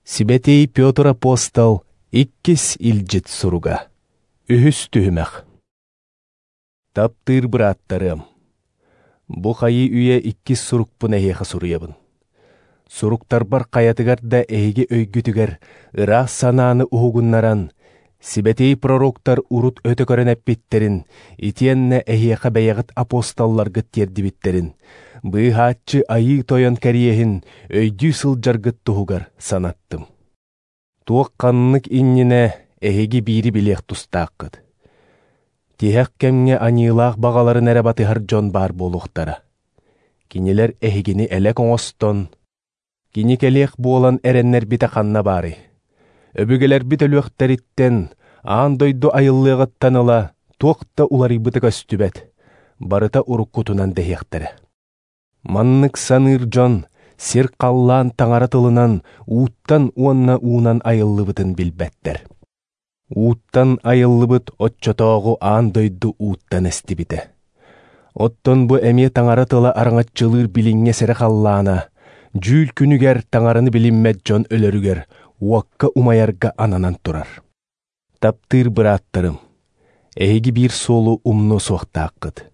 Сибэтиэй Петр апостол иккис илдьит суруга. Үһүс түһүмэх. Таптыыр бырааттарыам, бу хайыы үйэ иккис сурукпун эһиэхэ суруйабын. Суруктарбар хайатыгар да эһиги өйгүтүгэр ыраас санааны уһугуннаран, сибэтиэй пророктар урут өтө көрөн эппиттэрин, итиэннэ эһиэхэ бэйэҕит апостолларгыт тиэрдибиттэрин, быыһааччы Айыы Тойон кэриэһин өйдүү сылдьаргыт туһугар санаттым. Туох ханнык иннинэ эһиги биири билиэх тустааххыт. Тиһэх кэмҥэ аньыылаах баҕаларын эрэ батыһар дьон баар буолуохтара. Кинилэр эһигини элэк оҥостон, кини кэлиэх буолан эрэннэрбитэ ханна баарый? Өбүгэлэрбит өлүөхтэриттэн, аан дойду айыллыаҕыттан ыла туох да уларыйбыта көстүбэт, барыта уруккутунан дэһиэхтэрэ. Маннык саныыр дьон сир халлаан таҥара тылынан ууттан уонна уунан айыллыбытын билбэттэр. Ууттан айыллыбыт оччотооҕу аан дойду ууттан эстибитэ. Оттон бу эмиэ таҥара тыла араҥаччылыыр билиҥҥэ сэрэ халлаана, дьүүл күнүгэр таҥараны билиммэт дьон өлөрүгэр уокка умайарга ананан турар. Таптыыр бырааттарым, эһиги биир суолу умнуо суохтааххыт.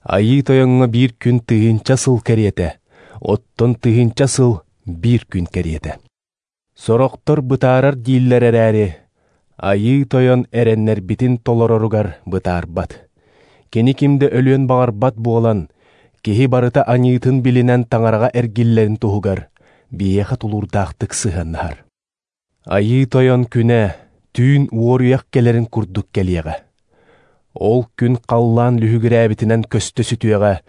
Айыы Тойоҥҥо биир күн тыһыынча сыл кэриэтэ, оттон тыһыынча сыл биир күн кэриэтэ. Сорохтор бытаарар дииллэр эрээри, Айыы Тойон эрэннэрбитин толороругар бытаарбат. Кини ким да өлүөн баҕарбат буолан, киһи барыта аньыытын билинэн таҥараҕа эргиллэрин туһугар биһиэхэ тулуурдаахтык сыһыаннаһар. Айыы Тойон күнэ түүн уоруйах кэлэрин курдук кэлиэҕэ. Ол күн халлаан лүһүгүрээбитинэн көстө сүтүөҕэ,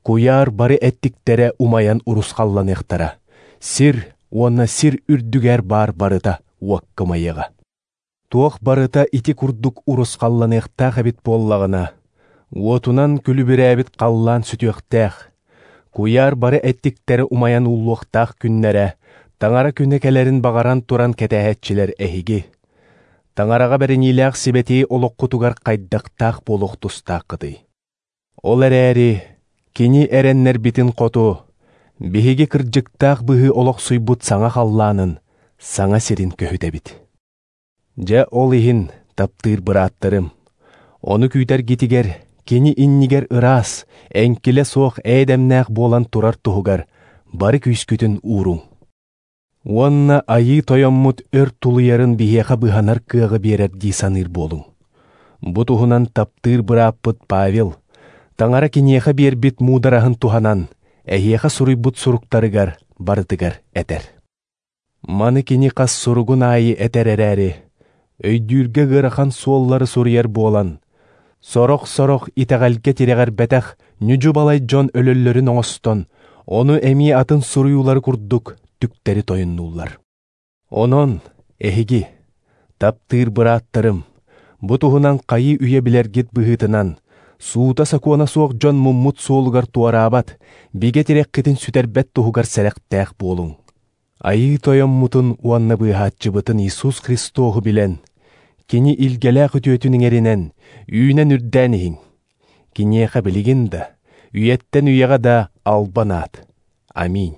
куйаар бары эттиктэрэ умайан урусхалланыахтара, сир уонна сир үрдүгэр баар барыта уокка умайыаҕа. Туох барыта ити курдук урусхалланыахтаах эбит буоллаҕына, уотунан күлүбүрээбит халлаан сүтүөхтээх, куйаар бары эттиктэрэ умайан ууллуохтаах күннэрэ, таҥара күнэ кэлэрин баҕаран туран кэтэһээччилэр эһиги. Таҥараҕа бэриниилээх сибэтиэй олоххутугар хайдахтаах буолуох тустааххытый. Ол эрээри, кини эрэннэрбитин хоту, биһиги кырдьыктаах быһыы олохсуйбут саҥа халлаанын, саҥа сирин көһүтэбит. Дьэ ол иһин, таптыыр бырааттарым, ону күүтэргитигэр, кини иннигэр ыраас, эҥкилэ суох ээдэмнээх буолан турар туһугар бары күүскүтүн ууруҥ. Уонна Айыы Тойоммут өр тулуйарын биһиэхэ быһанар кыаҕы биэрэр дии саныыр буолуҥ. Бу туһунан таптыыр бырааппыт Павел, таҥара киниэхэ биэрбит муудараһын туһанан, эһиэхэ суруйбут суруктарыгар барытыгар этэр. Маны кини хас суругун аайы этэр эрээри, өйдүүргэ ыарахан суоллары суруйар буолан, сорох-сорох итэҕэлгэ тирэҕэрбэтэх ньүдьү-балай дьон өлөллөрүн оҥостон, ону эмиэ атын суруйуулары курдук түктэри тойоннуллар. Онон, эһиги, таптыыр бырааттарым, бу туһунан хайыы үйэ билэргит быһыытынан, суута сокуона суох дьон муммут суолугар туораабат, бигэ тирэххитин сүтэрбэт туһугар сэрэхтээх буолуҥ. Айыы Тойоммутун уонна быыһааччыбытын Иисус Христоһу билэн, кини илгэлээх үтүөтүн иҥэринэн, үүнэн үрдээн иһиҥ. Киниэхэ билигин да, үйэттэн үйэҕэ да албан аат. Аминь.